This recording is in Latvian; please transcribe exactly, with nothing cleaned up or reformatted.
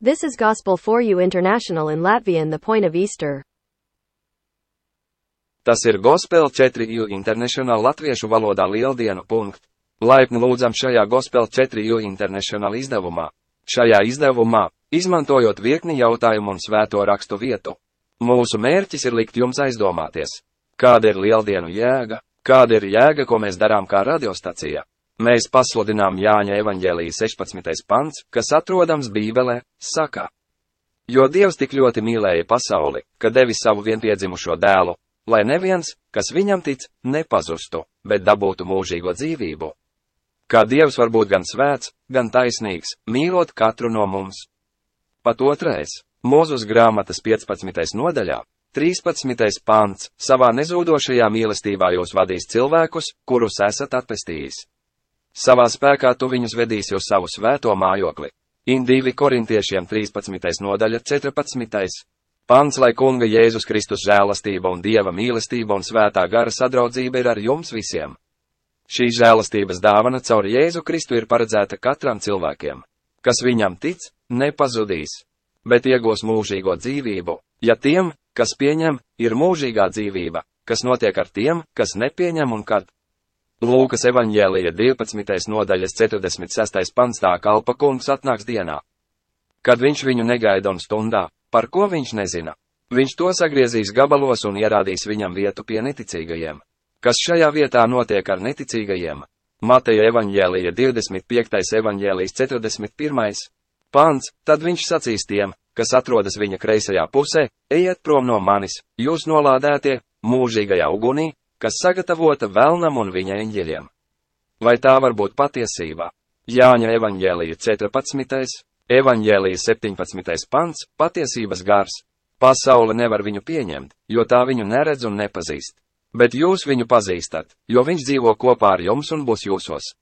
This is Gospel for You International in Latvian, the point of Easter. Tas ir Gospel četri U International latviešu valodā lieldienu punkts. Laipni lūdzam šajā Gospel četri U International izdevumā. Šajā izdevumā, izmantojot virkni jautājumu un svēto rakstu vietu, mūsu mērķis ir likt jums aizdomāties, kāda ir lieldienu jēga, kāda ir jēga, ko mēs darām kā radiostacija. Mēs pasludinām Jāņa evaņģēlija sešpadsmitais pants, kas atrodams Bībelē, saka: Jo Dievs tik ļoti mīlēja pasauli, ka devis savu vienpiedzimušo dēlu, lai neviens, kas viņam tic, nepazustu, bet dabūtu mūžīgo dzīvību. Kā Dievs var būt gan svēts, gan taisnīgs, mīlot katru no mums. Pat otrais, Mūzus grāmatas piecpadsmitajā nodaļā, trīspadsmitais pants, savā nezūdošajā mīlestībā jūs vadīs cilvēkus, kurus esat atpestījis. Savā spēkā tu viņus vedīsi uz savu svēto mājokli. divi korintiešiem trīspadsmitais nodaļa četrpadsmitais pants, lai Kunga Jēzus Kristus žēlastība un Dieva mīlestība un svētā gara sadraudzība ir ar jums visiem. Šī žēlastības dāvana caur Jēzu Kristu ir paredzēta katram cilvēkiem, kas viņam tic, nepazudīs, bet iegūs mūžīgo dzīvību, ja tiem, kas pieņem, ir mūžīgā dzīvība, kas notiek ar tiem, kas nepieņem un kad. Lūkas evaņģēlija divpadsmitais nodaļas četrdesmit sestais pants, tā kalpa kungs atnāks dienā, kad viņš viņu negaida un stundā, par ko viņš nezina. Viņš to sagriezīs gabalos un ierādīs viņam vietu pie neticīgajiem. Kas šajā vietā notiek ar neticīgajiem? Mateja evaņģēlija divdesmit piektais evaņģēlijs četrdesmit pirmais pants, tad viņš sacīs tiem, kas atrodas viņa kreisajā pusē: ejiet prom no manis, jūs nolādētie, mūžīgajā ugunī, kas sagatavota velnam un viņa eņģeļiem. Vai tā var būt patiesība? Jāņa evaņģēlija četrpadsmitais evaņģēlija septiņpadsmitais pants, patiesības gars. Pasaule nevar viņu pieņemt, jo tā viņu neredz un nepazīst. Bet jūs viņu pazīstat, jo viņš dzīvo kopā ar jums un būs jūsos.